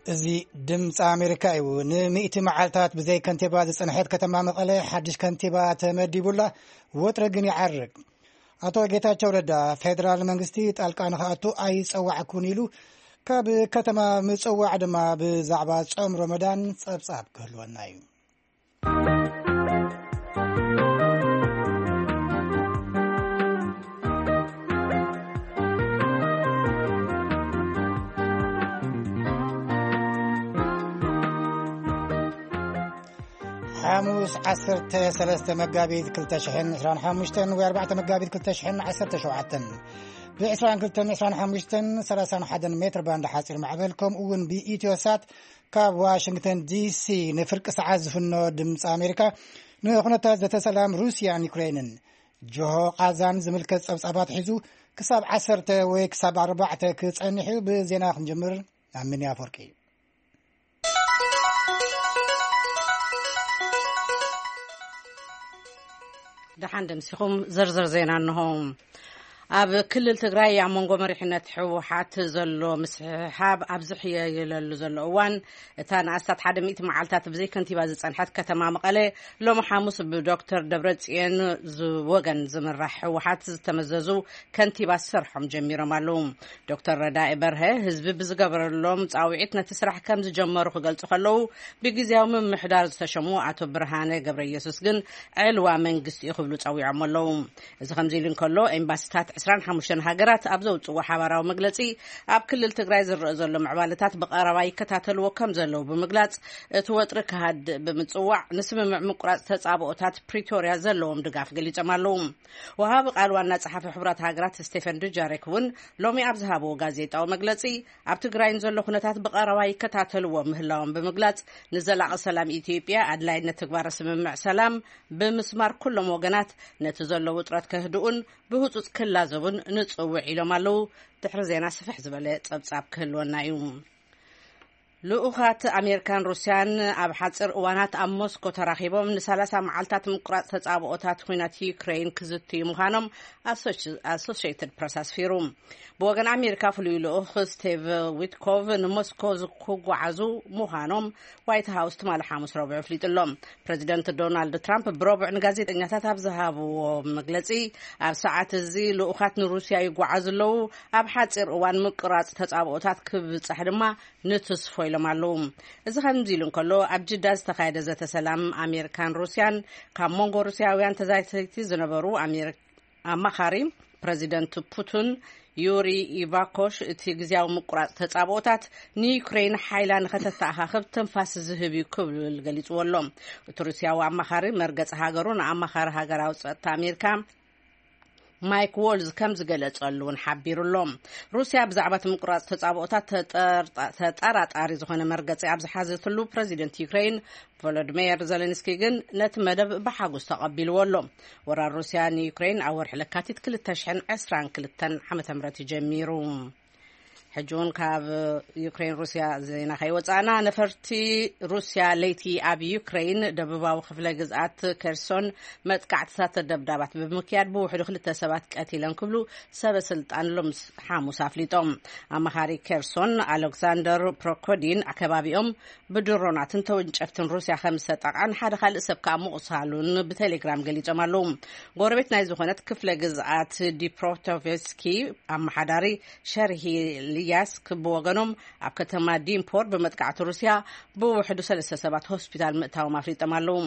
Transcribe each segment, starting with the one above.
እዚ ድምፂ ኣሜሪካ እዩ። ንሚእቲ መዓልታት ብዘይ ከንቲባ ዝፀንሐት ከተማ መቐለ ሓድሽ ከንቲባ ተመዲቡላ፣ ወጥሪ ግን ይዓርግ። ኣቶ ጌታቸው ረዳ፣ ፌደራል መንግስቲ ጣልቃ ንኽኣቱ ኣይፀዋዕኩን ኢሉ። ካብ ከተማ ምፅዋዕ ድማ ብዛዕባ ጾም ረመዳን ጸብጻብ ክህልወና እዩ። ሓሙስ ዓሰርተ ሰለስተ መጋቢት ክልተ ሽሕን ዕስራን ሓሙሽተን ወይ ኣርባዕተ መጋቢት ክልተ ሽሕን ዓሰርተ ሸውዓተን፣ ብ ዕስራን ክልተን ዕስራን ሓሙሽተን ሰላሳን ሓደን ሜትር ባንድ ሓፂር ማዕበል፣ ከምኡ እውን ብኢትዮ ሳት ካብ ዋሽንግተን ዲሲ ንፍርቂ ሰዓት ዝፍኖ ድምፂ ኣሜሪካ ንኩነታት ዘተሰላም ሩስያን ዩክሬንን ጆሆ ቃዛን ዝምልከት ጸብጻባት ሒዙ ክሳብ ዓሰርተ ወይ ክሳብ ኣርባዕተ ክጸንሕ እዩ። ብዜና ክንጅምር፣ ኣሚን ኣፈወርቂ። ደሓን ደምሲኹም፣ ዝርዝር ዜና እንሆ። ኣብ ክልል ትግራይ ኣብ መንጎ መሪሕነት ህወሓት ዘሎ ምስሕሓብ ኣብ ዝሕየለሉ ዘሎ እዋን፣ እታ ንኣስታት ሓደ ሚእቲ መዓልታት ብዘይ ከንቲባ ዝጸንሐት ከተማ መቐለ ሎሚ ሓሙስ ብዶክተር ደብረጽዮን ዝወገን ዝምራሕ ህወሓት ዝተመዘዙ ከንቲባ ስርሖም ጀሚሮም ኣለዉ። ዶክተር ረዳኢ በርሀ ህዝቢ ብዝገበረሎም ጻውዒት ነቲ ስራሕ ከም ዝጀመሩ ክገልጹ ከለዉ፣ ብግዜያዊ ምምሕዳር ዝተሸሙ ኣቶ ብርሃነ ገብረ ኢየሱስ ግን ዕልዋ መንግስቲ እዩ ክብሉ ጸዊዖም ኣለዉ። እዚ ከምዚ ኢሉ እንከሎ፣ ኤምባሲታት ዕስራን ሓሙሽተን ሃገራት ኣብ ዘውጽዎ ሓባራዊ መግለጺ፣ ኣብ ክልል ትግራይ ዝረአ ዘሎ ምዕባለታት ብቐረባ ይከታተልዎ ከም ዘለዉ ብምግላጽ፣ እቲ ወጥሪ ክሃድእ ብምጽዋዕ፣ ንስምምዕ ምቁራጽ ተጻብኦታት ፕሪቶርያ ዘለዎም ድጋፍ ገሊጾም ኣለዉ። ወሃቢ ቃል ዋና ጸሓፊ ሕቡራት ሃገራት ስቴፈን ዱጃሪክ እውን ሎሚ ኣብ ዝሃብዎ ጋዜጣዊ መግለጺ፣ ኣብ ትግራይን ዘሎ ኩነታት ብቐረባ ይከታተልዎ ምህላዎም ብምግላጽ፣ ንዘላቒ ሰላም ኢትዮጵያ ኣድላይነት ትግባረ ስምምዕ ሰላም ብምስማር፣ ኩሎም ወገናት ነቲ ዘሎ ውጥረት ከህድኡን ብህጹጽ ክላዘቡን ንጽውዕ ኢሎም ኣለዉ። ድሕሪ ዜና ስፍሕ ዝበለ ጸብጻብ ክህልወና እዩ። ልኡኻት ኣሜሪካን ሩስያን ኣብ ሓጺር እዋናት ኣብ ሞስኮ ተራኺቦም ንሰላሳ መዓልታት ምቁራጽ ተጻብኦታት ኲናት ዩክሬን ክዝትዩ ምዃኖም ኣሶሽ-፣ ኣሶሽየትድ ፕረስ ኣስፊሩ። ብወገን ኣሜሪካ ፍሉይ ልኡኽ ስቲቭ ዊትኮቭ ንሞስኮ ክጓዓዙ ምዃኖም ዋይት ሃውስ ትማሊ ሓሙስ ረቡዕ ኣፍሊጡ ኣሎ። ፕረዚደንት ዶናልድ ትራምፕ ብረቡዕ ንጋዜጠኛታት ኣብ ዝሃብዎ መግለጺ፣ ኣብ ሰዓት እዚ ልኡኻት ንሩስያ ይጓዓዙ ኣለዉ፣ ኣብ ሓጺር እዋን ምቁራጽ ተጻብኦታት ክብጻሕ ድማ ንትስፎ ኢሎም ኣለዉ። እዚ ከምዚ ኢሉ እንከሎ፣ ኣብ ጅዳ ዝተኻየደ ዘተ ሰላም ኣሜሪካን ሩስያን ካብ መንጎ ሩስያውያን ተዛተይቲ ዝነበሩ ኣሜሪ-፣ ኣማኻሪ ፕረዚደንት ፑቲን ዩሪ ኢቫኮሽ፣ እቲ ግዜያዊ ምቁራጽ ተጻብኦታት ንዩክሬን ሓይላ ንኸተተኣኻኽብ ትንፋስ ዝህብ እዩ ክብል ገሊጽዎ ኣሎ። እቲ ሩስያዊ ኣማኻሪ መርገጺ ሃገሩ ንኣማኻሪ ሃገራዊ ጸጥታ ኣሜሪካ ማይክ ዎልዝ ከም ዝገለጸሉ እውን ሓቢሩ ኣሎ። ሩስያ ብዛዕባ እቲ ምቁራጽ ተጻብኦታት ተጠርጣ-፣ ተጠራጣሪ ዝኾነ መርገጺ ኣብ ዝሓዘትሉ፣ ፕረዚደንት ዩክሬን ቮሎዲሚር ዘለንስኪ ግን ነቲ መደብ ብሓጎስ ተቐቢልዎ ኣሎ። ወራር ሩስያ ንዩክሬን ኣብ ወርሒ ለካቲት ክልተ ሽሕን ዕስራን ክልተን ዓመተ ምህረት እዩ ጀሚሩ። ሕጂ እውን ካብ ዩክሬን ሩስያ ዜና ከይወጻእና፣ ነፈርቲ ሩስያ ለይቲ ኣብ ዩክሬን ደቡባዊ ክፍለ ግዝኣት ኬርሶን መጥቃዕትታት ደብዳባት ብምክያድ ብውሕዱ ክልተ ሰባት ቀቲለን ክብሉ ሰበ ስልጣን ሎምስ ሓሙስ ኣፍሊጦም። ኣማኻሪ ኬርሶን ኣሌክሳንደር ፕሮኮዲን ከባቢኦም ብድሮናትን ተወንጨፍትን ሩስያ ከም ዝተጠቕዐን ሓደ ካልእ ሰብ ከኣ ምቑሳሉን ብቴሌግራም ገሊጾም ኣለዉ። ጎረቤት ናይ ዝኾነት ክፍለ ግዝኣት ዲፕሮቶቬስኪ ኣመሓዳሪ ሸርሂ ልያስክ ብወገኖም፣ ኣብ ከተማ ዲምፖር ብመጥቃዕቲ ሩስያ ብውሕዱ ሰለስተ ሰባት ሆስፒታል ምእታዎም ኣፍሊጦም ኣለዉ።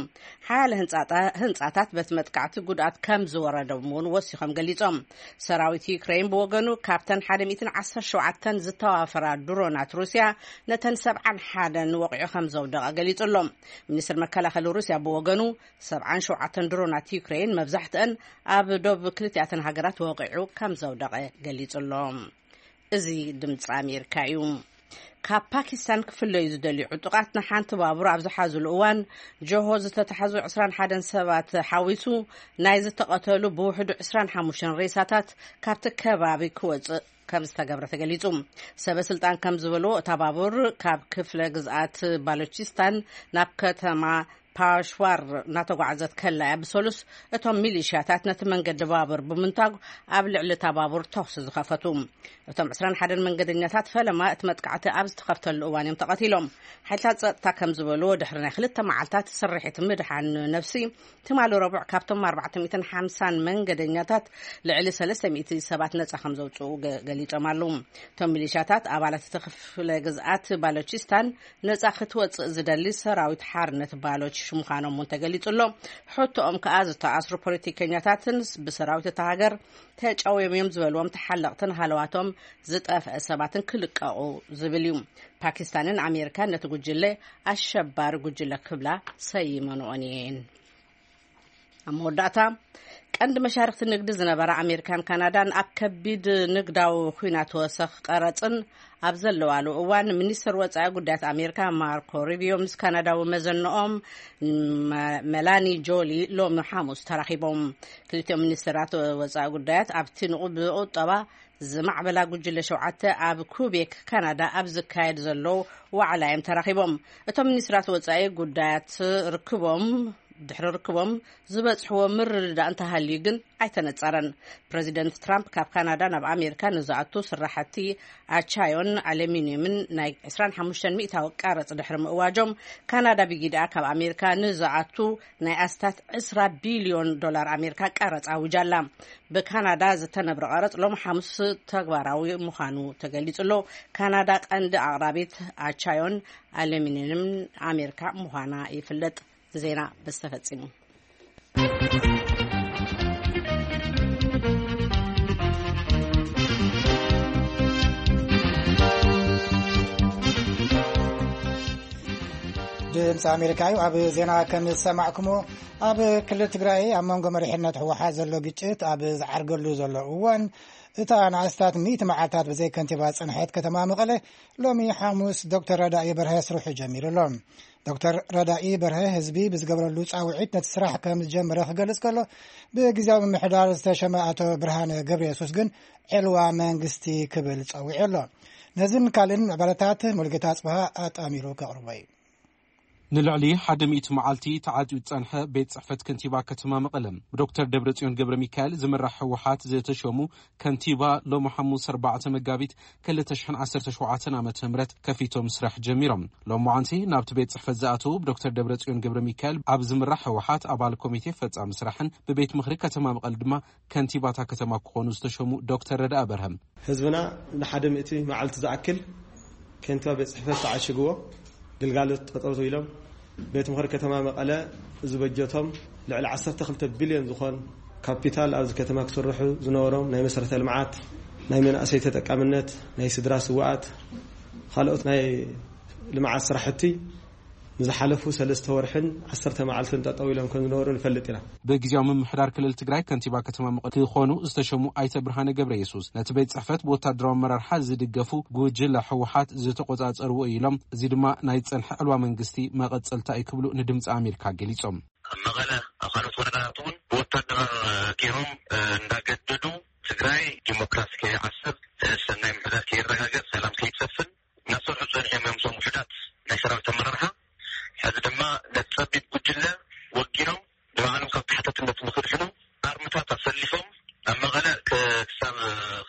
ሓያለ ህንጻታ-፣ ህንጻታት በቲ መጥቃዕቲ ጉድኣት ከም ዝወረዶም እውን ወሲኾም ገሊጾም። ሰራዊት ዩክሬን ብወገኑ፣ ካብተን ሓደ ሚእትን ዓሰርተ ሸውዓተን ዝተዋፈራ ድሮናት ሩስያ፣ ነተን ሰብዓን ሓደን ወቒዑ ከም ዘውደቐ ገሊጹ ኣሎ። ሚኒስትር መከላኸሊ ሩስያ ብወገኑ፣ ሰብዓን ሸውዓተን ድሮናት ዩክሬን፣ መብዛሕትአን ኣብ ዶብ ክልቲኣተን ሃገራት ወቒዑ ከም ዘውደቐ ገሊጹ ኣሎ። እዚ ድምፂ ኣሜሪካ እዩ። ካብ ፓኪስታን ክፍለዩ ዝደልዩ ዕጡቓት ንሓንቲ ባቡር ኣብ ዝሓዙሉ እዋን፣ ጆሆ ዝተታሕዙ ዕስራን ሓደን ሰባት ሓዊሱ ናይ ዝተቐተሉ ብውሕዱ ዕስራን ሓሙሽተን ሬሳታት ካብቲ ከባቢ ክወፅእ ከም ዝተገብረ ተገሊጹ። ሰበ ስልጣን ከም ዝበልዎ፣ እታ ባቡር ካብ ክፍለ ግዝኣት ባሎቺስታን ናብ ከተማ ፓሽዋር እናተጓዓዘት ከላ እያ ብሰሉስ እቶም ሚሊሽያታት ነቲ መንገዲ ባቡር ብምንታግ ኣብ ልዕሊ እታ ባቡር ተኹሲ ዝኸፈቱ። እቶም ዕስራን ሓደን መንገደኛታት ፈለማ እቲ መጥቃዕቲ ኣብ ዝተኸፍተሉ እዋን እዮም ተቐቲሎም። ሓይልታት ጸጥታ ከም ዝበልዎ፣ ድሕሪ ናይ ክልተ መዓልታት ስርሒት ምድሓን ነፍሲ፣ ትማሊ ረቡዕ ካብቶም ኣርባዕተ ሚእትን ሓምሳን መንገደኛታት ልዕሊ ሰለስተ ሚእቲ ሰባት ነጻ ከም ዘውጽኡ ገ-፣ ገሊጾም ኣለዉ። እቶም ሚሊሻታት ኣባላት እቲ ክፍለ ግዝኣት ባሎቺስታን ነጻ ክትወጽእ ዝደሊ ሰራዊት ሓርነት ባሎች ምዃኖም እውን ተገሊጹ ኣሎ። ሕቶኦም ከኣ ዝተኣስሩ ፖለቲከኛታትን ብሰራዊት እታ ሃገር ተጨውዮም እዮም ዝበልዎም ተሓለቕትን ሃለዋቶም ዝጠፍአ ሰባትን ክልቀቑ ዝብል እዩ። ፓኪስታንን ኣሜሪካን ነቲ ጉጅለ ኣሸባሪ ጉጅለ ክብላ ሰይመንኦን እየን። ኣብ መወዳእታ፣ ቀንዲ መሻርክቲ ንግዲ ዝነበራ ኣሜሪካን ካናዳን ኣብ ከቢድ ንግዳዊ ኲናት ወሰኽ ቀረጽን ኣብ ዘለዋሉ እዋን፣ ሚኒስትር ወጻኢ ጉዳያት ኣሜሪካ ማርኮ ሩቢዮ ምስ ካናዳዊ መዘንኦም መ-፣ መላኒ ጆሊ ሎሚ ሓሙስ ተራኺቦም። ክልቲኦም ሚኒስትራት ወጻኢ ጉዳያት ኣብቲ ንቑ-፣ ብቁጠባ ዝማዕበላ ጉጅለ ሸውዓተ ኣብ ኩቤክ ካናዳ ኣብ ዝካየድ ዘሎ ዋዕላ እዮም ተራኺቦም። እቶም ሚኒስትራት ወጻኢ ጉዳያት ርክቦም ድሕሪ ርክቦም ዝበጽሕዎ ምርድዳእ እንተሃልዩ ግን ኣይተነጸረን። ፕረዚደንት ትራምፕ ካብ ካናዳ ናብ ኣሜሪካ ንዝኣቱ ስራሕቲ ኣቻዮን ኣሉሚንየምን ናይ ዕስራን ሓሙሽተን ሚእታዊ ቀረጽ ድሕሪ ምእዋጆም፣ ካናዳ ብጊድኣ ካብ ኣሜሪካ ንዝኣቱ ናይ ኣስታት ዕስራ ቢልዮን ዶላር ኣሜሪካ ቀረጽ ኣውጃ ኣላ። ብካናዳ ዝተነብረ ቀረጽ ሎም ሓሙስ ተግባራዊ ምዃኑ ተገሊጹ ኣሎ። ካናዳ ቀንዲ ኣቕራቢት ኣቻዮን ኣሉሚንየምን ኣሜሪካ ምዃና ይፍለጥ። ዜና በዚ ተፈጺሙ። ድምፂ ኣሜሪካ እዩ። ኣብ ዜና ከም ዝሰማዕኩሞ፣ ኣብ ክልል ትግራይ ኣብ መንጎ መሪሕነት ህወሓት ዘሎ ግጭት ኣብ ዝዓርገሉ ዘሎ እዋን፣ እታ ንኣስታት ሚእቲ መዓልታት ብዘይ ከንቲባ ዝፀንሐት ከተማ መቐለ ሎሚ ሓሙስ ዶክተር ረዳኢ በርሀ ስርሑ ጀሚሩ ኣሎ። ዶክተር ረዳኢ በርሀ ህዝቢ ብዝገበረሉ ፃውዒት ነቲ ስራሕ ከም ዝጀመረ ክገልጽ ከሎ፣ ብግዜያዊ ምምሕዳር ዝተሸመ ኣቶ ብርሃነ ገብረ የሱስ ግን ዕልዋ መንግስቲ ክብል ጸዊዑ ኣሎ። ነዝን ካልእን ምዕባለታት ሙሉጌታ ኣጽብሃ ኣጣሚሩ ከቕርቦ እዩ። ንልዕሊ ሓደ ሚእቲ መዓልቲ ተዓጽዩ ዝጸንሐ ቤት ጽሕፈት ከንቲባ ከተማ መቐለ፣ ብዶክተር ደብረጽዮን ገብረ ሚካኤል ዝምራሕ ህወሓት ዝተሸሙ ከንቲባ፣ ሎሚ ሓሙስ ኣርባዕተ መጋቢት ክልተ ሽሕን ዓሰርተ ሸውዓተን ዓመተ ምህረት ከፊቶም ስራሕ ጀሚሮም። ሎማዓንቲ ናብቲ ቤት ጽሕፈት ዝኣተዉ ብዶክተር ደብረጽዮን ገብረ ሚካኤል ኣብ ዝምራሕ ህወሓት ኣባል ኮሚቴ ፈጻሚ ስራሕን ብቤት ምኽሪ ከተማ መቐለ ድማ ከንቲባታ ከተማ ክኾኑ ዝተሸሙ ዶክተር ረዳኢ በርሀ፣ ህዝብና ንሓደ ሚእቲ መዓልቲ ዝኣክል ከንቲባ ቤት ጽሕፈት ተዓሽግዎ፣ ግልጋሎት ጠጠው ኢሎም፣ ቤት ምኽሪ ከተማ መቐለ ዝበጀቶም ልዕሊ ዓሰርተ ክልተ ቢልዮን ዝኾን ካፒታል ኣብዚ ከተማ ክስርሑ ዝነበሮም ናይ መሰረተ ልምዓት፣ ናይ መናእሰይ ተጠቃምነት፣ ናይ ስድራ ስውኣት፣ ካልኦት ናይ ልምዓት ስራሕቲ ንዝሓለፉ ሰለስተ ወርሕን ዓሰርተ መዓልትን ጠጠው ኢሎም ከም ዝነበሩ ንፈልጥ ኢና። ብግዜያዊ ምምሕዳር ክልል ትግራይ ከንቲባ ከተማ መቐለ ክኾኑ ዝተሸሙ ኣይተ ብርሃነ ገብረ የሱስ፣ ነቲ ቤት ጽሕፈት ብወታደራዊ ኣመራርሓ ዝድገፉ ጉጅለ ህወሓት ዝተቆጻጸርዎ እዩ ኢሎም፣ እዚ ድማ ናይ ዝጸንሐ ዕልዋ መንግስቲ መቐጸልታ እዩ ክብሉ ንድምፂ ኣሜሪካ ገሊጾም። ኣብ መቐለ፣ ኣብ ካልኦት ወረዳታት እውን ብወታደር ገይሮም፣ እ፣ እንዳገደዱ ትግራይ ዲሞክራሲ ከይዓስብ፣ እ፣ ሰናይ ምሕዳር ከይረጋገጽ፣ ሰላም ከይሰፍን እናሰርሑ ጸኒሖም እዮም። እዞም ውሑዳት ናይ ሰራዊት ኣመራርሓ ሕዚ ድማ ነቲ ጸቢብ ጉጅለ ወጊኖም ንባዕሎም ካብ ተሓታትነት ንክድሕኑ ኣርምታት ኣሰሊፎም ኣብ መቐለ ክ-፣ ክሳብ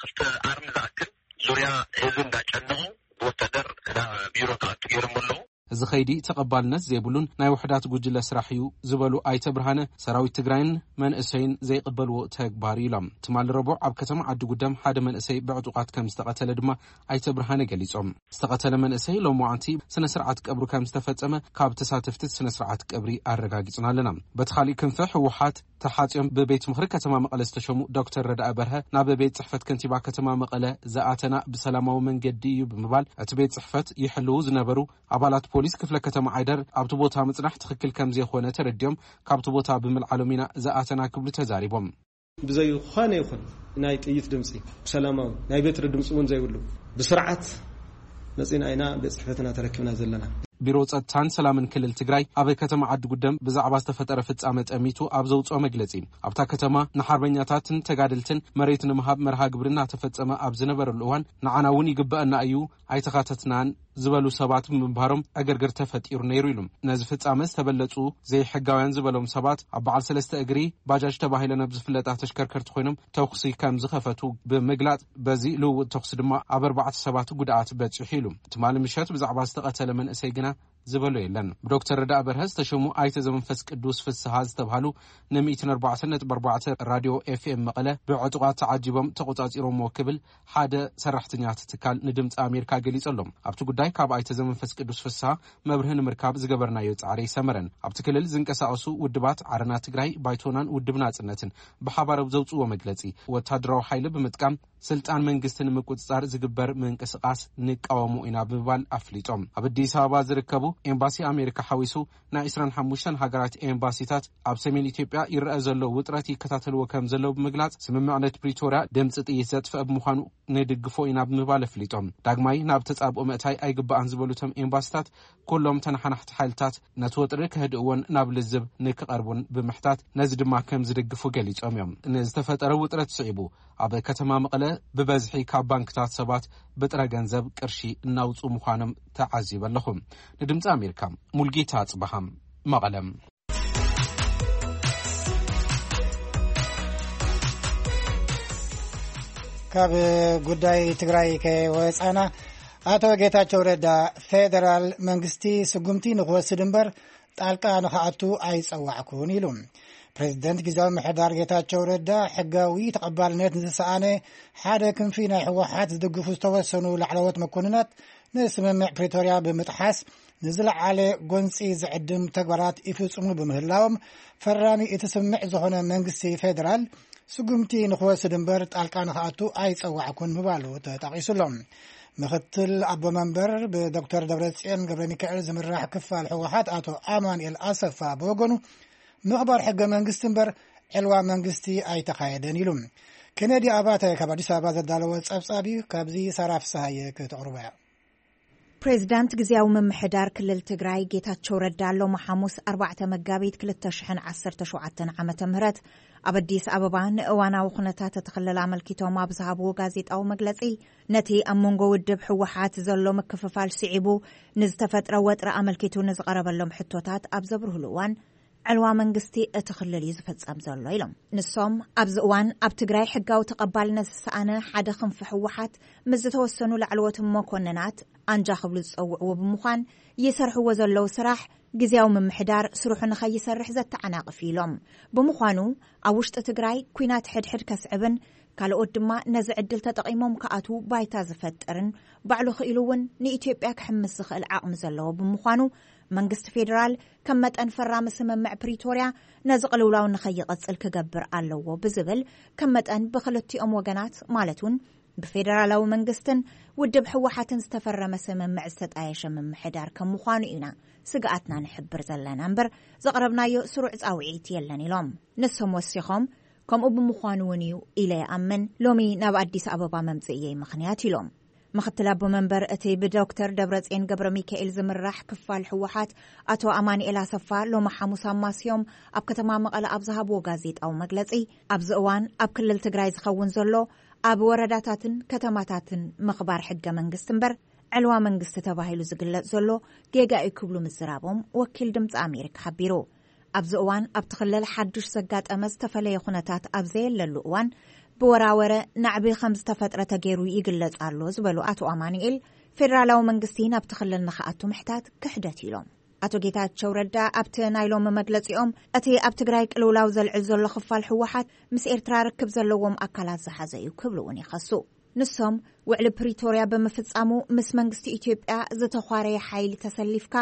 ክልተ ኣርሚ ዝኣክል ዙርያ ህዝቢ እንዳጨነቑ ብወታደር ናብ ቢሮ ክኣቱ ገይሮም ኣለዉ። እዚ ኸይዲ ተቐባልነት ዘይብሉን ናይ ውሕዳት ጉጅለ ስራሕ እዩ ዝበሉ ኣይተ ብርሃነ፣ ሰራዊት ትግራይን መንእሰይን ዘይቕበልዎ ተግባር እዩ ኢሎም። ትማሊ ረቡዕ ኣብ ከተማ ዓዲ ጉደም ሓደ መንእሰይ ብዕጡቓት ከም ዝተቐተለ ድማ ኣይተ ብርሃነ ገሊጾም። ዝተቐተለ መንእሰይ ሎማዓንቲ ስነ ስርዓት ቀብሩ ከም ዝተፈጸመ ካብ ተሳተፍቲ ስነ ስርዓት ቀብሪ ኣረጋጊጽና ኣለና። በቲ ካሊእ ክንፊ ህወሓት ተሓጽዮም ብቤት ምኽሪ ከተማ መቐለ ዝተሸሙ ዶክተር ረዳኢ በርሀ፣ ናብ ቤት ጽሕፈት ከንቲባ ከተማ መቐለ ዝኣተና ብሰላማዊ መንገዲ እዩ ብምባል፣ እቲ ቤት ጽሕፈት ይሕልዉ ዝነበሩ ኣባላት ፖሊስ ክፍለ ከተማ ዓይደር ኣብቲ ቦታ ምጽናሕ ትኽክል ከም ዘይኾነ ተረዲኦም፣ ካብቲ ቦታ ብምልዓሎም ኢና ዝኣተና ክብሉ ተዛሪቦም። ብዘይ ዝኾነ ይኹን ናይ ጥይት ድምፂ፣ ብሰላማዊ ናይ በትሪ ድምፂ እውን ዘይብሉ፣ ብስርዓት መፂና ኢና ቤት ጽሕፈትና ተረኪብና ዘለና። ቢሮ ጸጥታን ሰላምን ክልል ትግራይ ኣብ ከተማ ዓዲ ጉደም ብዛዕባ ዝተፈጠረ ፍጻመ ጠሚቱ ኣብ ዘውፅኦ መግለጺ፣ ኣብታ ከተማ ንሓርበኛታትን ተጋደልትን መሬት ንምሃብ መርሃ ግብሪ እናተፈጸመ ኣብ ዝነበረሉ እዋን፣ ንዓና እውን ይግበአና እዩ፣ ኣይተኻተትናን ዝበሉ ሰባት ብምንባሮም ዕግርግር ተፈጢሩ ነይሩ ኢሉ። ነዚ ፍጻመ ዝተበለጹ ዘይሕጋውያን ዝበሎም ሰባት ኣብ በዓል ሰለስተ እግሪ ባጃጅ ተባሂለን ኣብ ዝፍለጣ ተሽከርከርቲ ኮይኖም ተኹሲ ከም ዝኸፈቱ ብምግላጽ፣ በዚ ልውውጥ ተኹሲ ድማ ኣብ ኣርባዕተ ሰባት ጉድኣት በጺሑ ኢሉ። ትማሊ ምሸት ብዛዕባ ዝተቐተለ መንእሰይ ግና ዝበሎ የለን። ብዶክተር ረዳእ በርሀ ዝተሸሙ ኣይተ ዘመንፈስ ቅዱስ ፍስሃ ዝተባህሉ ን ሚእትን ኣርባዕተን ነጥቢ ኣርባዕተ ራድዮ ኤፍኤም መቐለ ብዕጡቓት ተዓጂቦም ተቖጻጺሮምዎ ክብል ሓደ ሰራሕተኛ እቲ ትካል ንድምፂ ኣሜሪካ ገሊጹ ኣሎ። ኣብቲ ጉዳይ ካብ ኣይተ ዘመንፈስ ቅዱስ ፍስሃ መብርሂ ንምርካብ ዝገበርናዮ ጻዕሪ ኣይሰመረን። ኣብቲ ክልል ዝንቀሳቐሱ ውድባት ዓረና ትግራይ፣ ባይቶናን ውድብ ናጽነትን ብሓባር ኣብ ዘውፅዎ መግለጺ፣ ወታደራዊ ሓይሊ ብምጥቃም ስልጣን መንግስቲ ንምቁጽጻር ዝግበር ምንቅስቓስ ንቃወሞ ኢና ብምባል ኣፍሊጦም። ኣብ ኣዲስ ኣበባ ዝርከቡ ኤምባሲ ኣሜሪካ ሓዊሱ ናይ ዕስራን ሓሙሽተን ሃገራት ኤምባሲታት ኣብ ሰሜን ኢትዮጵያ ይረአ ዘሎ ውጥረት ይከታተልዎ ከም ዘለዉ ብምግላጽ፣ ስምምዕነት ፕሪቶርያ ድምፂ ጥይት ዘጥፍአ ብምዃኑ ንድግፎ ኢና ብምባል ኣፍሊጦም። ዳግማይ ናብ ተጻብኦ ምእታይ ኣይግባኣን ዝበሉ እቶም ኤምባሲታት፣ ኩሎም ተነሓናሕቲ ሓይልታት ነቲ ወጥሪ ከህድእዎን ናብ ልዝብ ንክቐርቡን ብምሕታት፣ ነዚ ድማ ከም ዝድግፉ ገሊጾም እዮም። ንዝተፈጠረ ውጥረት ስዒቡ፣ ኣብ ከተማ መቐለ ብበዝሒ ካብ ባንክታት ሰባት ብጥረ ገንዘብ ቅርሺ እናውፅኡ ምዃኖም ተዓዚበ ኣለኹ። ንድምፂ ኣሜሪካ፣ ሙልጌታ ኣፅበሃ፣ መቐለ። ካብ ጉዳይ ትግራይ ከይወፃና፣ ኣቶ ጌታቸው ረዳ፣ ፌደራል መንግስቲ ስጉምቲ ንክወስድ እምበር ጣልቃ ንክኣቱ ኣይፀዋዕኩን ኢሉ። ፕሬዚደንት ግዝያዊ ምምሕዳር ጌታቸው ረዳ፣ ሕጋዊ ተቐባልነት ንዝሰኣነ ሓደ ክንፊ ናይ ህወሓት ዝድግፉ ዝተወሰኑ ላዕለዎት መኮንናት፣ ንስምምዕ ፕሪቶርያ ብምጥሓስ ንዝለዓለ ጎንፂ ዝዕድም ተግባራት ይፍፅሙ ብምህላዎም፣ ፈራሚ እቲ ስምምዕ ዝኾነ መንግስቲ ፌደራል ስጉምቲ ንክወስድ እምበር ጣልቃ ንክኣቱ ኣይፀዋዕኩን ምባሉ ተጠቒሱ ኣሎ። ምክትል ኣቦ መንበር ብዶክተር ደብረፅዮን ገብረ ሚካኤል ዝምራሕ ክፋል ህወሓት ኣቶ ኣማኑኤል ኣሰፋ ብወገኑ፣ ምኽባር ሕገ መንግስቲ እምበር ዕልዋ መንግስቲ ኣይተኻየደን ኢሉ። ኬነዲ ኣባተ ካብ ኣዲስ ኣበባ ዘዳለዎ ጸብጻብ እዩ። ካብዚ ሳራ ፍስሃየ ከተቕርቦ እያ። ፕሬዚዳንት ግዝያዊ ምምሕዳር ክልል ትግራይ ጌታቸው ረዳ ሎሚ ሓሙስ ኣርባዕተ መጋቢት ክልተ ሽሕን ዓሰርተ ሸውዓተን ዓመተ ምህረት ኣብ ኣዲስ ኣበባ ንእዋናዊ ኩነታት እቲ ክልል ኣመልኪቶም ኣብ ዝሃብዎ ጋዜጣዊ መግለጺ፣ ነቲ ኣብ መንጎ ውድብ ህወሓት ዘሎ ምክፍፋል ስዒቡ ንዝተፈጥረ ወጥሪ ኣመልኪቱ ንዝቐረበሎም ሕቶታት ኣብ ዘብርህሉ እዋን፣ ዕልዋ መንግስቲ እቲ ክልል እዩ ዝፍጸም ዘሎ ኢሎም። ንሶም ኣብዚ እዋን ኣብ ትግራይ ሕጋዊ ተቐባልነት ዝሰኣነ ሓደ ክንፊ ህወሓት ምስ ዝተወሰኑ ላዕለዎት መኮንናት ኣንጃ ክብሉ ዝጸውዕዎ ብምዃን ይሰርሕዎ ዘለዉ ስራሕ ግዝያዊ ምምሕዳር ስርሑ ንኸይሰርሕ ዘተዓናቕፍ ኢሎም። ብምዃኑ ኣብ ውሽጢ ትግራይ ኲናት ሕድሕድ ከስዕብን ካልኦት ድማ ነዚ ዕድል ተጠቒሞም ክኣትዉ ባይታ ዝፈጥርን ባዕሉ ክኢሉ እውን ንኢትዮጵያ ክሕምስ ዝኽእል ዓቕሚ ዘለዎ ብምዃኑ መንግስቲ ፌዴራል ከም መጠን ፈራሚ ስምምዕ ፕሪቶርያ ነዚ ቅልውላው ንኸይቐጽል ክገብር ኣለዎ ብዝብል ከም መጠን ብክልቲኦም ወገናት ማለት እውን ብፌደራላዊ መንግስትን ውድብ ህወሓትን ዝተፈረመ ስምምዕ ዝተጣየሸ ምምሕዳር ከም ምዃኑ ኢና ስግኣትና ንሕብር ዘለና እምበር ዘቕረብናዮ ስሩዕ ጻውዒት የለን ኢሎም። ንሶም ወሲኾም ከምኡ ብምዃኑ እውን እዩ ኢለ ይኣምን ሎሚ ናብ ኣዲስ ኣበባ መምፅእየይ ምኽንያት ኢሎም። ምኽትል ኣቦ መንበር እቲ ብዶክተር ደብረፅዮን ገብረ ሚካኤል ዝምራሕ ክፋል ህወሓት ኣቶ ኣማንኤል ኣሰፋ ሎሚ ሓሙስ ኣማስዮም ኣብ ከተማ መቐለ ኣብ ዝሃብዎ ጋዜጣዊ መግለፂ ኣብዚ እዋን ኣብ ክልል ትግራይ ዝኸውን ዘሎ ኣብ ወረዳታትን ከተማታትን ምኽባር ሕገ መንግስቲ እምበር ዕልዋ መንግስቲ ተባሂሉ ዝግለጽ ዘሎ ጌጋ እዩ ክብሉ ምዝራቦም ወኪል ድምፂ ኣሜሪካ ሓቢሩ። ኣብዚ እዋን ኣብቲ ክልል ሓዱሽ ዘጋጠመ ዝተፈለየ ኩነታት ኣብ ዘየለሉ እዋን ብወራወረ ናዕቢ ከም ዝተፈጥረ ተገይሩ ይግለጽ ኣሎ ዝበሉ ኣቶ ኣማኑኤል ፌደራላዊ መንግስቲ ናብቲ ክልል ንክኣቱ ምሕታት ክሕደት ኢሎም። ኣቶ ጌታቸው ረዳ ኣብቲ ናይ ሎሚ መግለጺኦም እቲ ኣብ ትግራይ ቅልውላው ዘልዕል ዘሎ ክፋል ህወሓት ምስ ኤርትራ ርክብ ዘለዎም ኣካላት ዝሓዘ እዩ ክብሉ እውን ይኸሱ። ንሶም ውዕሊ ፕሪቶርያ ብምፍጻሙ ምስ መንግስቲ ኢትዮጵያ ዝተዃረየ ሓይሊ ተሰሊፍካ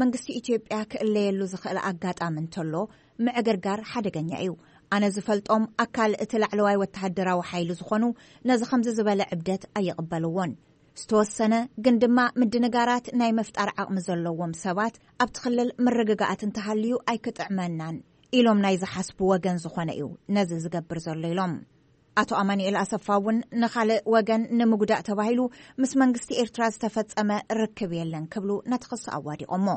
መንግስቲ ኢትዮጵያ ክእለየሉ ዝኽእል ኣጋጣሚ እንተሎ ምዕግርጋር ሓደገኛ እዩ። ኣነ ዝፈልጦም ኣካል እቲ ላዕለዋይ ወተሃደራዊ ሓይሊ ዝኾኑ ነዚ ከምዚ ዝበለ ዕብደት ኣይቕበልዎን። ዝተወሰነ ግን ድማ ምድንጋራት ናይ ምፍጣር ዓቕሚ ዘለዎም ሰባት ኣብቲ ክልል ምርግጋኣት እንተሃልዩ ኣይክጥዕመናን ኢሎም ናይ ዝሓስቡ ወገን ዝኾነ እዩ ነዚ ዝገብር ዘሎ ኢሎም። ኣቶ ኣማኑኤል ኣሰፋ እውን ንኻልእ ወገን ንምጉዳእ ተባሂሉ ምስ መንግስቲ ኤርትራ ዝተፈጸመ ርክብ የለን ክብሉ ነቲ ክሲ ኣዋዲቖሞ።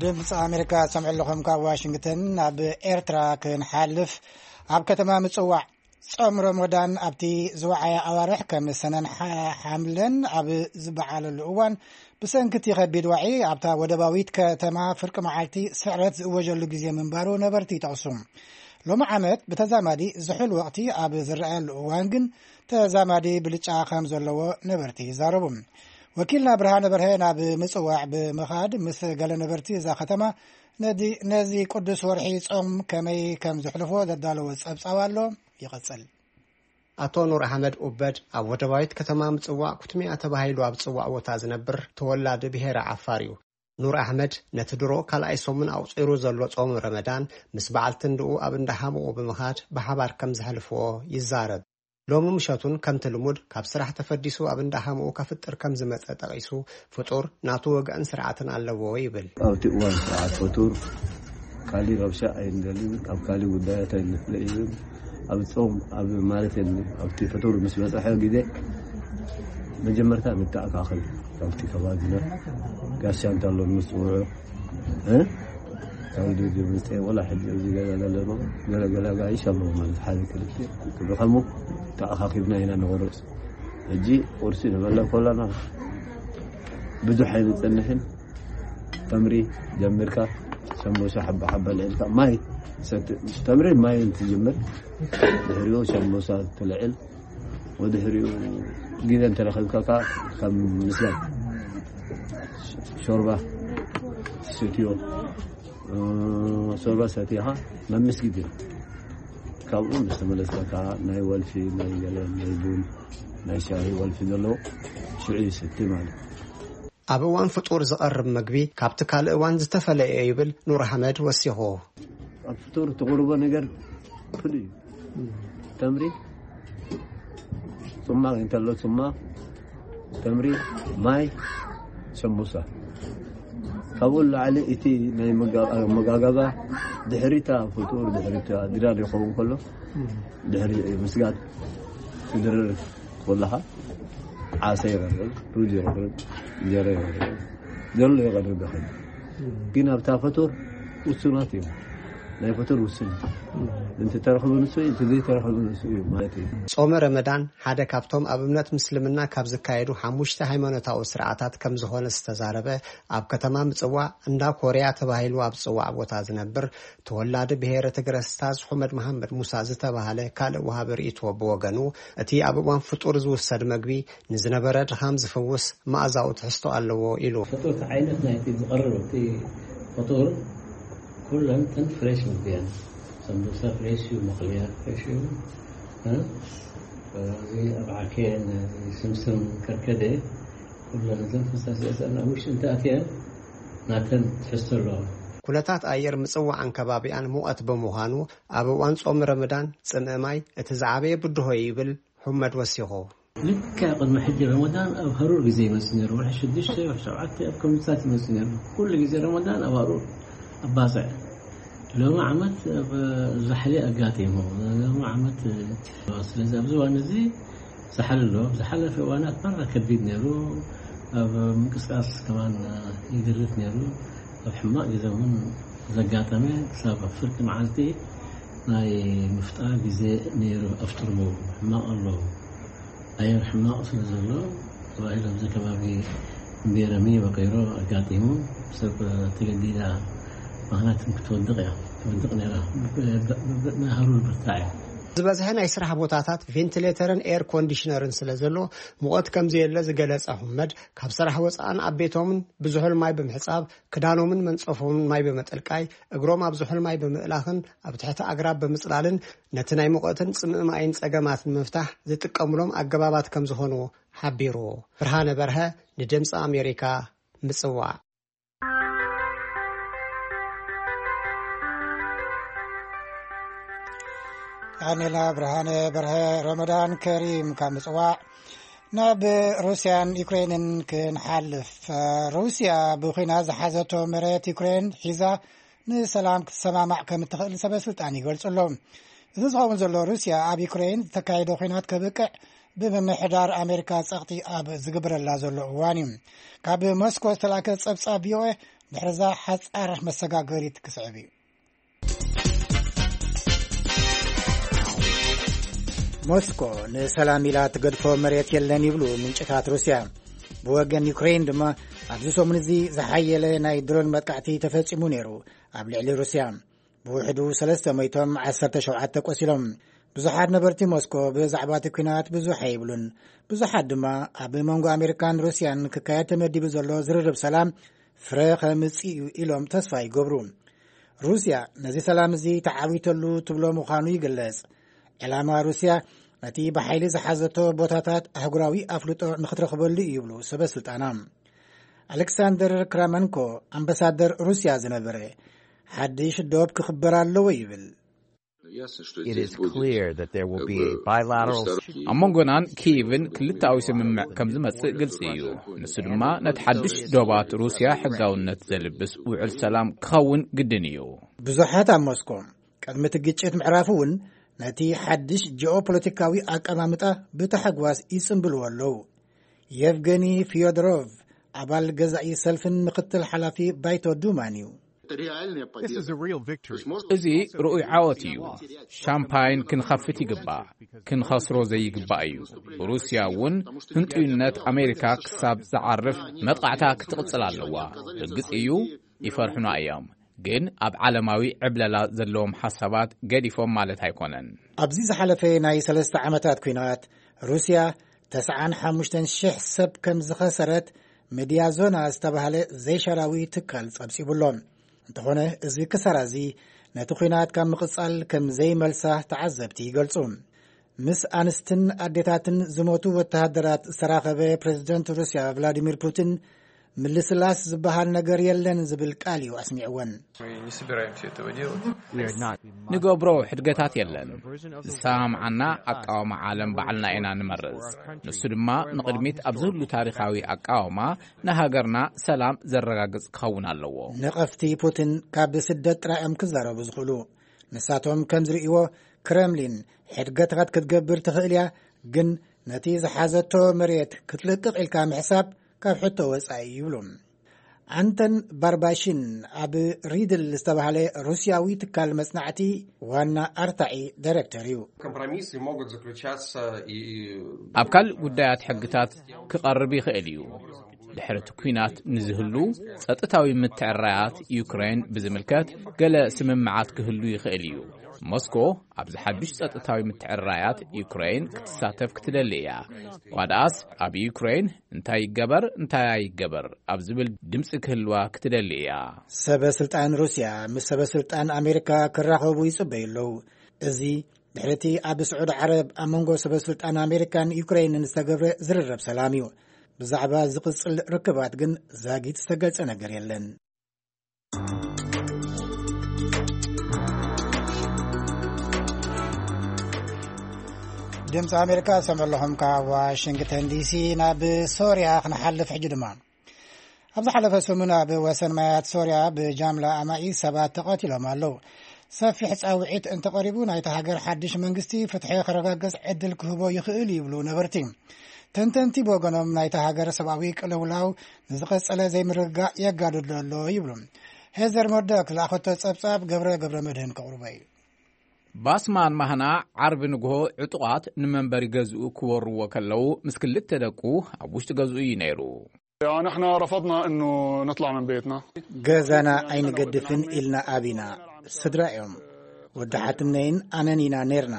ድምፂ ኣሜሪካ ሰምዑ ኣለኹም። ካብ ዋሽንግተን ናብ ኤርትራ ክንሓልፍ፣ ኣብ ከተማ ምፅዋዕ ጾም ረመዳን ኣብቲ ዝወዓየ ኣዋርሕ ከም ሰነን ሓ-፣ ሓምለን ኣብ ዝበዓለሉ እዋን፣ ብሰንኪ እቲ ከቢድ ዋዒ ኣብታ ወደባዊት ከተማ ፍርቂ መዓልቲ ስዕረት ዝእወጀሉ ግዜ ምንባሩ ነበርቲ ይጠቕሱ። ሎሚ ዓመት ብተዛማዲ ዝሑል ወቕቲ ኣብ ዝረኣየሉ እዋን ግን ተዛማዲ ብልጫ ከም ዘለዎ ነበርቲ ይዛረቡ። ወኪልና ብርሃነ በርሀ ናብ ምጽዋዕ ብምኻድ ምስ ገለ ነበርቲ እዛ ከተማ ነዚ፣ ነዚ ቅዱስ ወርሒ ጾም ከመይ ከም ዘሕልፎ ዘዳለዎ ጸብጻብ ኣሎ። ይቐጽል። ኣቶ ኑር ኣሕመድ ኡበድ ኣብ ወደባዊት ከተማ ምጽዋዕ ኩትሚያ ተባሂሉ ኣብ ዝጽዋዕ ቦታ ዝነብር ተወላዲ ብሄረ ዓፋር እዩ። ኑር ኣሕመድ ነቲ ድሮ ካልኣይ ሰሙን ኣቑጺሩ ዘሎ ጾም ረመዳን ምስ በዓልቲ እንድኡ ኣብ እንዳ ሓሙኡ ብምኻድ ብሓባር ከም ዘሕልፍዎ ይዛረብ። ሎሚ ምሸቱን ከምቲ ልሙድ ካብ ስራሕ ተፈዲሱ ኣብ እንዳ ሓሙኡ ከፍጥር ከም ዝመጸ ጠቒሱ፣ ፍጡር ናቱ ወግዕን ስርዓትን ኣለዎ ይብል። ኣብቲ እዋን ስርዓት ፈጡር ካሊ ረብሻ ኣይንደልን፣ ኣብ ካሊ ጉዳያት ኣይንፍለይን። ኣብ ጾም፣ ኣብ ማለት የለን። ኣብቲ ፈጡር ምስ በጽሐ ግዜ መጀመርታ ንተኣካኸብ ካብቲ ከባቢና ጋሻ እንተሎ ምስ ጽውዑ፣ እ? ካብ ደገ መጽአ ወላ ሕጂ ኣብዚ ገዛ ዘለና ገለ ገለ ኣጋይሽ ኣለዎ ማለት ሓደ ክልተ ክድኸሙ ተኣኻኺብና ኢና ንቆርጽ። ሕጂ ቁርሲ ንበልዕ ከለና ብዙሕ ኣይንጸንሕን። ተምሪ ጀሚርካ ሸምቦሻ ሓባ ሓባ ልዕልካ ማይ ሰቲ-፣ ተምሪ ማይ እንትጅምር ድሕሪኡ ሸምቦሻ ትልዕል። ወድሕሪኡ ግዜ እንተረኸብካ ከኣ ከም ምስጋን ሾርባ ትሰትዮ፣ እ፣ ሾርባ ሰቲኻ ናብ መስጊድ ኢኻ። ካብኡ ምስ ተመለስካ ከኣ ናይ ወልፊ፣ ናይ ገለ፣ ናይ ቡን፣ ናይ ሻሂ ወልፊ ዘለዎ ሽዑ ይሰቲ ማለት እዩ። ኣብ እዋን ፍጡር ዝቐርብ መግቢ ካብቲ ካልእ እዋን ዝተፈለየ እዩ ይብል ኑር ኣሕመድ ወሲኹ። ኣብ ፍጡር ትቕርቦ ነገር ፍሉይ እዩ። ተምሪ፣ ጽማቕ እንተሎ ጽማቕ፣ ተምሪ፣ ማይ፣ ሰሙሳ። ካብኡ ንላዕሊ እቲ ናይ መጋ-፣ ኣመጋገባ ድሕሪታ ፍጡር፣ ድሕሪታ ድራር ይኸውን ከሎ፣ ድሕሪ ምስጋድ ትድርር ከለኻ ዓሳ ይቐርብ፣ ሩዝ ይቐርብ፣ እንጀራ ይቐርብ፣ ዘሎ ይቐርብ ይኸይድ። ግን ኣብታ ፈጡር ውሱናት እዮም። ናይ ፈጡር ውሱን እዩ። እንተ ተረኽቡ ንሱ እዩ፣ እንተ ዘይተረኽቡ ንሱ እዩ ማለት እዩ። ጾመ ረመዳን ሓደ ካብቶም ኣብ እምነት ምስልምና ካብ ዝካየዱ ሓሙሽተ ሃይማኖታዊ ስርዓታት ከም ዝኾነ ዝተዛረበ፣ ኣብ ከተማ ምጽዋዕ እንዳ ኮርያ ተባሂሉ ኣብ ዝጽዋዕ ቦታ ዝነብር ተወላዲ ብሄረ ትግረ ስታዝ ሑመድ መሓመድ ሙሳ ዝተባህለ ካልእ ወሃቢ ርእይቶ ብወገኑ፣ እቲ ኣብ እዋን ፍጡር ዝውሰድ መግቢ ንዝነበረ ድኻም ዝፍውስ መኣዛዊ ትሕዝቶ ኣለዎ ኢሉ። ፍጡር እቲ ዓይነት ናይቲ ዝቐርብ እቲ ፍጡር ኩለን እተን ፍሬሽ ምግቢ እየን። ሰምቡሳ ፍሬሽ እዩ፣ መኽልያ ፍሬሽ እዩ። እ? እዚ ኣብ ዓኬን፣ እዚ ስምስም ከርከደ፣ ኩለን እተን ፈሳሲያት ኣብ ውሽጢ እንተኣትየን ናተን ትሕዝቶ ኣለዋ። ኩነታት ኣየር ምጽዋዕን ከባቢኣን ሙቐት ብምዃኑ ኣብ እዋን ጾም ረመዳን ጽምኢ ማይ እቲ ዝዓበየ ብድሆ እዩ ይብል ሑመድ ወሲኹ። ልክዕ ቅድሚ ሕጂ ረመዳን ኣብ ሃሩር ግዜ ይመጽእ ነይሩ። ወርሒ ሽዱሽተ፣ ወርሒ ሸውዓተ ኣብ ከምታት ይመጽእ ነይሩ። ኩሉ ግዜ ረመዳን ኣብ ሃሩር ኣብ ባጽዕ። ሎሚ ዓመት ኣብ ዛሕሊ ኣጋጢሙ። ሎሚ ዓመት፣ ስለዚ ኣብዚ እዋን እዚ ዛሕሊ ኣሎ። ኣብ ዝሓለፈ እዋናት መራ ከቢድ ነይሩ። ኣብ ምንቅስቃስ ከማን ይግርት ነይሩ። ኣብ ሕማቕ ግዜ እውን ዘጋጠመ ክሳብ ኣብ ፍርቂ መዓልቲ ናይ ምፍጣር ግዜ ነይሩ። ኣፍጥርዎ ሕማቕ ኣሎ። ኣየር ሕማቕ ስለ ዘሎ ተባሂሉ ኣብዚ ከባቢ እምቤረሚ ወቂሮ ኣጋጢሙ ሰብ ተገዲዳ። ምኽንያት ክትወድቕ እያ፣ ክትወድቕ ነይራ። ብ-፣ ብ-፣ ብ-፣ ናይ ሃሩር ብርታዕ እዩ። ዝበዝሐ ናይ ስራሕ ቦታታት ቬንቲሌተርን ኤር ኮንዲሽነርን ስለ ዘሎ ሙቐት ከም ዘየለ ዝገለጸ ኣሕመድ፣ ካብ ስራሕ ወጻእን ኣብ ቤቶምን ብዝሑል ማይ ብምሕጻብ፣ ክዳኖምን መንጸፎምን ማይ ብምጥልቃይ፣ እግሮም ኣብ ዝሑል ማይ ብምእላኽን ኣብ ትሕቲ ኣግራብ ብምጽላልን ነቲ ናይ ሙቐትን ጽምኢ ማይን ጸገማት ንምፍታሕ ዝጥቀሙሎም ኣገባባት ከም ዝኾኑ ሓቢሩ። ብርሃነ በርሀ ንድምፂ ኣሜሪካ፣ ምጽዋዕ። ዳንኤላ ብርሃነ በርሀ፣ ረመዳን ከሪም ካብ ምጽዋዕ። ናብ ሩስያን ዩክሬንን ክንሓልፍ። ሩስያ ብኹናት ዝሓዘቶ መሬት ዩክሬን ሒዛ ንሰላም ክትሰማማዕ ከም እትኽእል ሰበ ስልጣን ይገልጹ ኣለዉ። እዚ ዝኸውን ዘሎ ሩስያ ኣብ ዩክሬን ዝተካየደ ኹናት ከብቅዕ ብምምሕዳር ኣሜሪካ ጸቕጢ ኣብ ዝግበረላ ዘሎ እዋን እዩ። ካብ ሞስኮ ዝተላእከ ጸብጻብ ቪኦኤ ድሕርዛ ሓጻር መሰጋገሪት ክስዕብ እዩ። ሞስኮ ንሰላም ኢላ ትገድፎ መሬት የለን ይብሉ ምንጭታት ሩስያ። ብወገን ዩክሬን ድማ ኣብዚ ሰሙን እዚ ዝሓየለ ናይ ድሮን መጥቃዕቲ ተፈጺሙ ነይሩ ኣብ ልዕሊ ሩስያ። ብውሕዱ ሰለስተ ሞይቶም፣ ዓሰርተ ሸውዓተ ቆሲሎም። ብዙሓት ነበርቲ ሞስኮ ብዛዕባ እቲ ኲናት ብዙሕ ኣይብሉን። ብዙሓት ድማ ኣብ መንጎ ኣሜሪካን ሩስያን ክካየድ ተመዲቡ ዘሎ ዝርርብ ሰላም ፍረ ከምጽእ እዩ ኢሎም ተስፋ ይገብሩ። ሩስያ ነዚ ሰላም እዚ ተዓዊተሉ ትብሎ ምዃኑ ይግለጽ። ዕላማ ሩስያ ነቲ ብሓይሊ ዝሓዘቶ ቦታታት ኣህጉራዊ ኣፍልጦ ንኽትረኽበሉ እዩ ይብሉ ሰበ ስልጣና። ኣሌክሳንደር ክራመንኮ፣ ኣምባሳደር ሩስያ ዝነበረ፣ ሓድሽ ዶብ ክኽበር ኣለዎ ይብል። It is clear that there will be a bilateral ኣብ መንጎናን ኪቭን ክልተኣዊ ስምምዕ ከም ዝመጽእ ግልጺ እዩ። ንሱ ድማ ነቲ ሓድሽ ዶባት ሩስያ ሕጋውነት ዘልብስ ውዕል ሰላም ክኸውን ግድን እዩ። ብዙሓት ኣብ ሞስኮ ቅድሚ እቲ ግጭት ምዕራፍ እውን ነቲ ሓድሽ ጂኦፖለቲካዊ ኣቀማምጣ ብታሕጓስ ይጽንብልዎ ኣለዉ። የቭገኒ ፊዮዶሮቭ፣ ኣባል ገዛኢ ሰልፍን ምክትል ሓላፊ ባይቶ ዱማን እዩ። This is a real victory. እዚ ርኡይ ዓወት እዩ። ሻምፓይን ክንኸፍት ይግባእ። ክንኸስሮ ዘይግባእ እዩ። ሩስያ እውን ህንጡይነት ኣሜሪካ ክሳብ ዝዓርፍ መጥቃዕታ ክትቕጽል ኣለዋ። ርግጽ እዩ፣ ይፈርሑና እዮም። ግን ኣብ ዓለማዊ ዕብለላ ዘለዎም ሓሳባት ገዲፎም ማለት ኣይኮነን። ኣብዚ ዝሓለፈ ናይ ሰለስተ ዓመታት ኲናት፣ ሩስያ ተስዓን ሓሙሽተን ሽሕ ሰብ ከም ዝኸሰረት፣ ሚድያ ዞና ዝተባህለ ዘይሻራዊ ትካል ጸብጺቡ ኣሎ። እንተኾነ፣ እዚ ክሳራ እዚ ነቲ ኲናት ካብ ምቕጻል ከም ዘይመልሳ ተዓዘብቲ ይገልጹ። ምስ ኣንስትን ኣዴታትን ዝሞቱ ወተሃደራት ዝተራኸበ ፕሬዝደንት ሩስያ ቭላዲሚር ፑቲን፣ ምልስላስ ዝበሃል ነገር የለን ዝብል ቃል እዩ ኣስሚዕወን። Мы не собираемся этого делать. ንገብሮ ሕድገታት የለን። ዝሰማምዓና ኣቃውማ ዓለም ባዕልና ኢና ንመርጽ። ንሱ ድማ ንቕድሚት ኣብዚ ህሉ ታሪኻዊ ኣቃውማ ንሃገርና ሰላም ዘረጋግጽ ክኸውን ኣለዎ። ነቐፍቲ ፑቲን ካብ ስደት ጥራይ እዮም ክዛረቡ ዝኽእሉ። ንሳቶም ከም ዝርእይዎ፣ ክረምሊን ሕድገታት ክትገብር ትኽእል እያ፣ ግን ነቲ ዝሓዘቶ መሬት ክትልቅቕ ኢልካ ምሕሳብ ካብ ሕቶ ወጻኢ ይብሉ። ኣንተን ባርባሽን ኣብ ሪድል ዝተባህለ ሩስያዊ ትካል መጽናዕቲ ዋና ኣርታዒ ዳይሬክተር እዩ። Компромиссы могут заключаться и ኣብ ካልእ ጉዳያት ሕግታት ክቐርብ ይኽእል እዩ። ድሕሪ እቲ ኲናት ንዝህሉ ጸጥታዊ ምትዕራያት ዩክሬን ብዝምልከት ገለ ስምምዓት ክህሉ ይኽእል እዩ። ሞስኮ ኣብዚ ሓድሽ ጸጥታዊ ምትዕራያት ዩክሬን ክትሳተፍ ክትደሊ እያ። እኳ ደኣስ ኣብ ዩክሬን እንታይ ይገበር እንታይ ኣይገበር ኣብ ዝብል ድምጺ ክህልዋ ክትደሊ እያ። ሰበ ስልጣን ሩስያ ምስ ሰበ ስልጣን ኣሜሪካ ክራኸቡ ይጽበዩ ኣለዉ። እዚ ድሕሪ እቲ ኣብ ስዑዲ ዓረብ ኣብ መንጎ ሰበ ስልጣን ኣሜሪካን ዩክሬንን ዝተገብረ ዝርርብ ሰላም እዩ። ብዛዕባ ዝቕጽል ርክባት ግን ዛጊት ዝተገልጸ ነገር የለን። ድምፂ ኣሜሪካ ሰምዑ ኣለኹም ካብ ዋሽንግተን ዲሲ። ናብ ሶርያ ክንሓልፍ ሕጂ ድማ ኣብ ዝሓለፈ ሰሙን ኣብ ወሰን ማያት ሶርያ ብጃምላ ኣማኢት ሰባት ተቐቲሎም ኣለዉ። ሰፊሕ ጻውዒት እንተቐሪቡ ናይቲ ሃገር ሓድሽ መንግስቲ ፍትሒ ክረጋገጽ ዕድል ክህቦ ይኽእል ይብሉ ነበርቲ። ተንተንቲ ብወገኖም ናይቲ ሃገር ሰብኣዊ ቅልውላው ንዝቐጸለ ዘይምርግጋእ የጋድዶ ኣሎ ይብሉ። ሄዘር መርዶክ ዝለኣኸቶ ጸብጻብ ገብረ ገብረ መድህን ከቕርቦ እዩ። ባስማን ማህና ዓርቢ ንግሆ ዕጡቓት ንመንበሪ ገዝኡ ክወርዎ ከለዉ ምስ ክልተ ደቁ ኣብ ውሽጢ ገዝኡ እዩ ነይሩ። يعني احنا رفضنا انه نطلع من بيتنا. ገዛና ኣይንገድፍን ኢልና ኣቢና። ስድራ እዮም። ወዲ ሓትነይን ኣነን ኢና ነርና።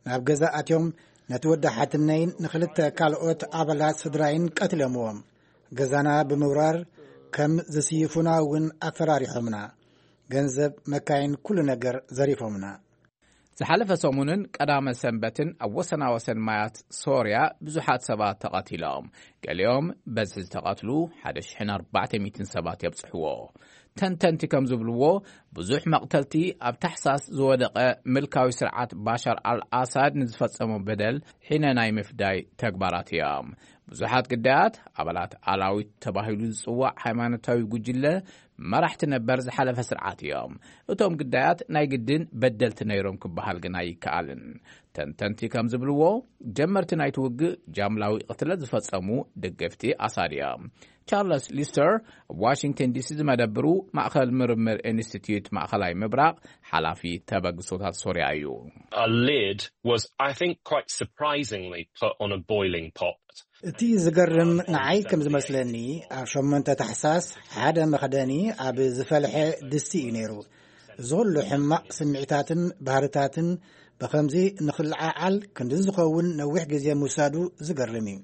ናብ ገዛ ኣትዮም ነቲ ወዲ ሓትነይን ንክልተ ካልኦት ኣባላት ስድራይን ቀትለምዎም። ገዛና ብምውራር ከም ዝስይፉና እውን ኣፈራሪሖምና። ገንዘብ፣ መካይን፣ ኩሉ ነገር ዘሪፎምና። ዝሓለፈ ሰሙንን ቀዳመ ሰንበትን ኣብ ወሰናወሰን ማያት ሶርያ ብዙሓት ሰባት ተቐቲሎም። ገሊኦም በዚ ዝተቐትሉ ሓደ ሽሕን ኣርባዕተ ሚእትን ሰባት የብጽሕዎ። ተንተንቲ ከም ዝብልዎ፣ ብዙሕ መቕተልቲ ኣብ ታሕሳስ ዝወደቐ ምልካዊ ስርዓት ባሻር ኣልኣሳድ ንዝፈጸሞ በደል ሒነ ናይ ምፍዳይ ተግባራት እዮም። ብዙሓት ግዳያት ኣባላት ኣላዊት ተባሂሉ ዝጽዋዕ ሃይማኖታዊ ጉጅለ መራሕቲ ነበር ዝሓለፈ ስርዓት እዮም። እቶም ግዳያት ናይ ግድን በደልቲ ነይሮም ክበሃል ግን ኣይከኣልን። ተንተንቲ ከም ዝብልዎ፣ ጀመርቲ ናይቲ ውግእ ጃምላዊ ቅትለት ዝፈጸሙ ደገፍቲ ኣሳድ እዮም። ቻርለስ ሊስተር ኣብ ዋሽንግተን ዲሲ ዝመደብሩ ማእኸል ምርምር ኢንስቲትዩት ማእኸላይ ምብራቕ ሓላፊ ተበግሶታት ሶርያ እዩ። A lid was, I think, quite surprisingly put on a boiling pot. እቲ ዝገርም ንዓይ ከም ዝመስለኒ፣ ኣብ ሸሞንተ ታሕሳስ ሓደ መኽደኒ ኣብ ዝፈልሐ ድስቲ እዩ ነይሩ። እዚ ኩሉ ሕማቕ ስምዒታትን ባህርታትን ብኸምዚ ንኽልዓዓል ክንድዚ ዝኸውን ነዊሕ ግዜ ምውሳዱ ዝገርም እዩ።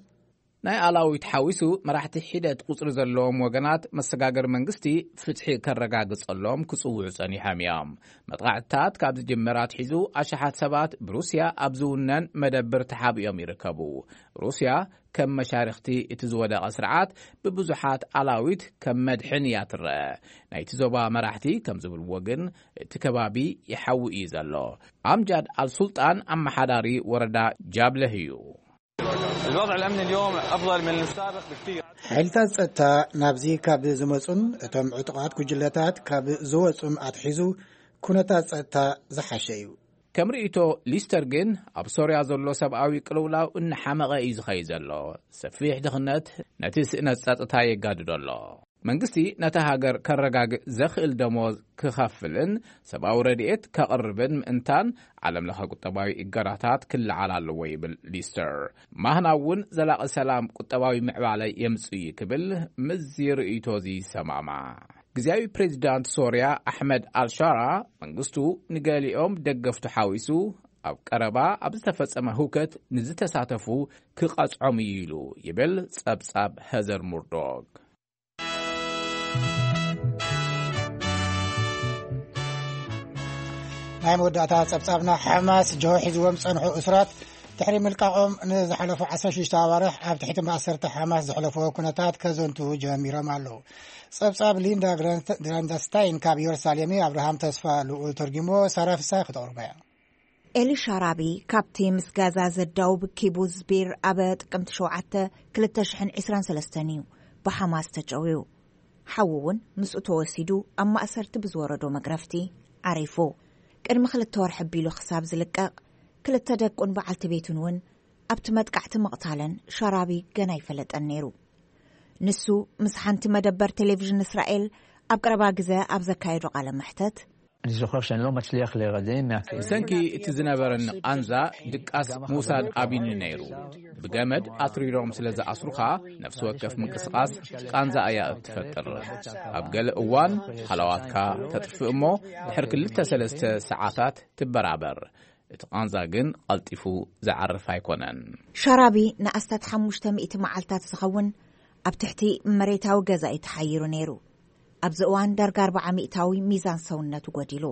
ናይ ኣላዊት ሓዊሱ መራሕቲ ሒደት ቁጽሪ ዘለዎም ወገናት መሰጋገሪ መንግስቲ ፍትሒ ከረጋግጸሎም ክጽውዑ ጸኒሖም እዮም። መጥቓዕትታት ካብ ዝጅምር ኣትሒዙ ኣሽሓት ሰባት ብሩስያ ኣብ ዝውነን መደብር ተሓቢኦም ይርከቡ። ሩስያ ከም መሻርኽቲ እቲ ዝወደቐ ስርዓት ብብዙሓት ኣላዊት ከም መድሕን እያ ትረአ። ናይቲ ዞባ መራሕቲ ከም ዝብልዎ ግን እቲ ከባቢ ይሓዊ እዩ ዘሎ። ኣምጃድ ኣልሱልጣን ኣመሓዳሪ ወረዳ ጃብለህ እዩ። الوضع الأمني اليوم أفضل من السابق بكثير. ሓይልታት ጸጥታ ናብዚ ካብ ዝመጹን እቶም ዕጡቓት ጉጅለታት ካብ ዝወጹን ኣትሒዙ ኩነታት ጸጥታ ዝሓሸ እዩ። ከም ርእይቶ ሊስተር ግን ኣብ ሶርያ ዘሎ ሰብኣዊ ቅልውላው እናሓመቐ እዩ ዝኸይድ ዘሎ። ሰፊሕ ድኽነት ነቲ ስእነት ጸጥታ የጋድዶ ኣሎ። መንግስቲ ነታ ሃገር ከረጋግእ ዘኽእል ደሞዝ ክኸፍልን ሰብኣዊ ረድኤት ከቕርብን ምእንታን ዓለም ለኸ ቁጠባዊ እገዳታት ክለዓል ኣለዎ ይብል ሊስተር። ማህና እውን ዘላቒ ሰላም ቁጠባዊ ምዕባለ የምጽእ እዩ ክብል ምስዚ ርእይቶ እዚ ይሰማማዕ። ግዜያዊ ፕሬዚዳንት ሶርያ ኣሕመድ ኣልሻራ መንግስቱ ንገሊኦም ደገፍቱ ሓዊሱ ኣብ ቀረባ ኣብ ዝተፈጸመ ህውከት ንዝተሳተፉ ክቐጽዖም እዩ ኢሉ ይብል ጸብጻብ ሄዘር ሙርዶክ። ናይ መወዳእታ ጸብጻብና ሓማስ ጆሆ ሒዝዎም ጸንሑ እሱራት ድሕሪ ምልቃቖም ንዝሓለፉ ዓሰርተ ሽዱሽተ ኣዋርሕ ኣብ ትሕቲ ማእሰርቲ ሓማስ ዘሕለፍዎ ኩነታት ከዘንቱ ጀሚሮም ኣለዉ። ጸብጻብ ሊንዳ ግራንደስታይን ካብ ኢየሩሳሌም እዩ። ኣብርሃም ተስፋ ልኡል ተርጊሞ ሳራ ፍሳይ ክተቕርቦ እያ። ኤሊ ሻራቢ ካብቲ ምስ ጋዛ ዘዳውብ ኪቡዝ ቢር ኣብ ጥቅምቲ ሸውዓተ ክልተ ሽሕን ዕስራን ሰለስተን እዩ ብሓማስ ተጨውዩ። ሓዉ እውን ምስኡ ተወሲዱ ኣብ ማእሰርቲ ብዝወረዶ መግረፍቲ ዓሪፉ። ቅድሚ ክልተ ወርሒ ኣቢሉ ክሳብ ዝልቀቕ ክልተ ደቁን በዓልቲ ቤቱን እውን ኣብቲ መጥቃዕቲ ምቕታለን ሻራቢ ገና ኣይፈለጠን ነይሩ። ንሱ ምስ ሓንቲ መደበር ቴሌቪዥን እስራኤል ኣብ ቀረባ ግዜ ኣብ ዘካየዶ ቃለ መሕተት፣ אני זוכר שאני לא מצליח להירדם מהכאב. ብሰንኪ እቲ ዝነበረኒ ቃንዛ ድቃስ ምውሳድ ኣቢኒ ነይሩ። ብገመድ ኣትሪሮም ስለ ዝኣስሩኻ ነፍሲ ወከፍ ምንቅስቓስ ቃንዛ እያ እትፈጥር። ኣብ ገለ እዋን ሃለዋትካ ተጥፍእ እሞ ድሕሪ ክልተ ሰለስተ ሰዓታት ትበራበር። እቲ ቃንዛ ግን ቀልጢፉ ዝዓርፍ ኣይኮነን። ሻራቢ ንኣስታት ሓሙሽተ ሚእቲ መዓልታት ዝኸውን ኣብ ትሕቲ መሬታዊ ገዛ እዩ ተሓይሩ ነይሩ። ኣብዚ እዋን ዳርጋ ኣርባዓ ሚእታዊ ሚዛን ሰውነቱ ጎዲሉ።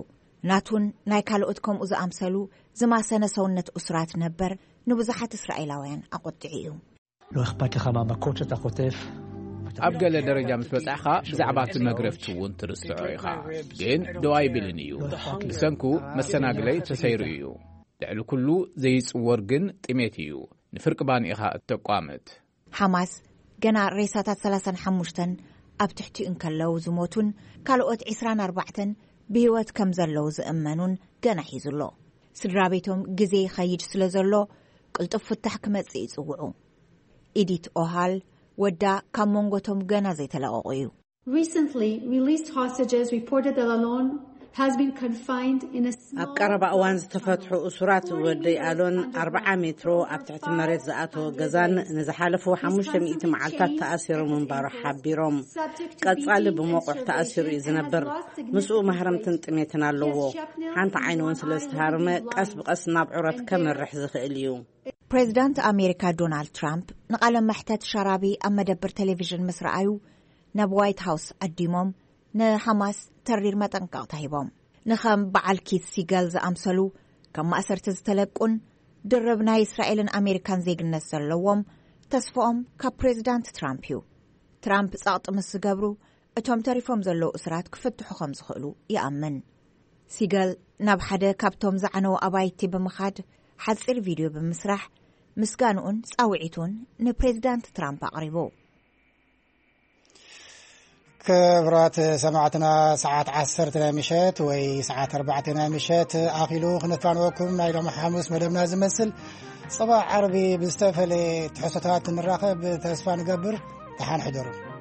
ናቱን ናይ ካልኦት ከምኡ ዝኣምሰሉ ዝማሰነ ሰውነት እሱራት ነበር ንብዙሓት እስራኤላውያን ኣቖጢዑ እዩ። לא אכפת לך מהמכות שאתה חוטף. ኣብ ገለ ደረጃ ምስ በጻሕኻ ብዛዕባ እቲ መግረፍቲ እውን ትርስዖ ኢኻ። ግን ደው ኣይብልን እዩ። ብሰንኩ መሰናግለይ ተሰይሩ እዩ። ልዕሊ ኩሉ ዘይጽወር ግን ጥሜት እዩ። ንፍርቂ ባኒ ኢኻ እተቋምት። ሓማስ ገና ሬሳታት ሰላሳን ሓሙሽተን ኣብ ትሕቲኡ እንከለዉ ዝሞቱን ካልኦት ዕስራን ኣርባዕተን ብህይወት ከም ዘለዉ ዝእመኑን ገና ሒዙ ኣሎ። ስድራ ቤቶም ግዜ ይኸይድ ስለ ዘሎ ቅልጡፍ ፍታሕ ክመጽእ ይጽውዑ። ኢዲት ኦሃል ወዳ ካብ መንጎቶም ገና ዘይተለቐቑ እዩ። Recently released hostages reported that Alon has been confined in a small ኣብ ቀረባ እዋን ዝተፈትሑ እሱራት ወደይ ኣሎን ኣርብዓ ሜትሮ ኣብ ትሕቲ መሬት ዝኣተወ ገዛን ንዝሓለፉ ሓሙሽተ ሚእቲ መዓልታት ተኣሲሩ ምንባሩ ሓቢሮም። ቀጻሊ ብመቑሕ ተኣሲሩ እዩ ዝነብር። ምስኡ ማህረምትን ጥሜትን ኣለዎ። ሓንቲ ዓይኑ እውን ስለ ዝተሃርመ ቀስ ብቐስ ናብ ዑረት ከምርሕ ዝኽእል እዩ። ፕሬዚዳንት ኣሜሪካ ዶናልድ ትራምፕ ንቓለ መሕተት ሻራቢ ኣብ መደብር ቴሌቪዥን ምስ ረኣዩ ናብ ዋይት ሃውስ ዓዲሞም ንሓማስ ተሪር መጠንቀቕታ ሂቦም። ንኸም በዓል ኪት ሲገል ዝኣምሰሉ ካብ ማእሰርቲ ዝተለቁን ድርብ ናይ እስራኤልን ኣሜሪካን ዜግነት ዘለዎም ተስፍኦም ካብ ፕሬዚዳንት ትራምፕ እዩ። ትራምፕ ጸቕጢ ምስ ዝገብሩ እቶም ተሪፎም ዘለዉ እስራት ክፍትሑ ከም ዝኽእሉ ይኣምን። ሲገል ናብ ሓደ ካብቶም ዝዓነዉ ኣባይቲ ብምኻድ ሓጺር ቪድዮ ብምስራሕ ምስጋንኡን ጻውዒቱን ንፕሬዚዳንት ትራምፕ ኣቕሪቡ። ክብራት ሰማዕትና፣ ሰዓት ዓሰርተ ናይ ምሸት ወይ ሰዓት ኣርባዕተ ናይ ምሸት ኣኺሉ ክነፋንወኩም ናይ ሎሚ ሓሙስ መደብና ዝመስል። ጽባሕ ዓርቢ ብዝተፈለየ ትሕዝቶታት ንራኸብ ተስፋ ንገብር። ደሓን ሕደሩ።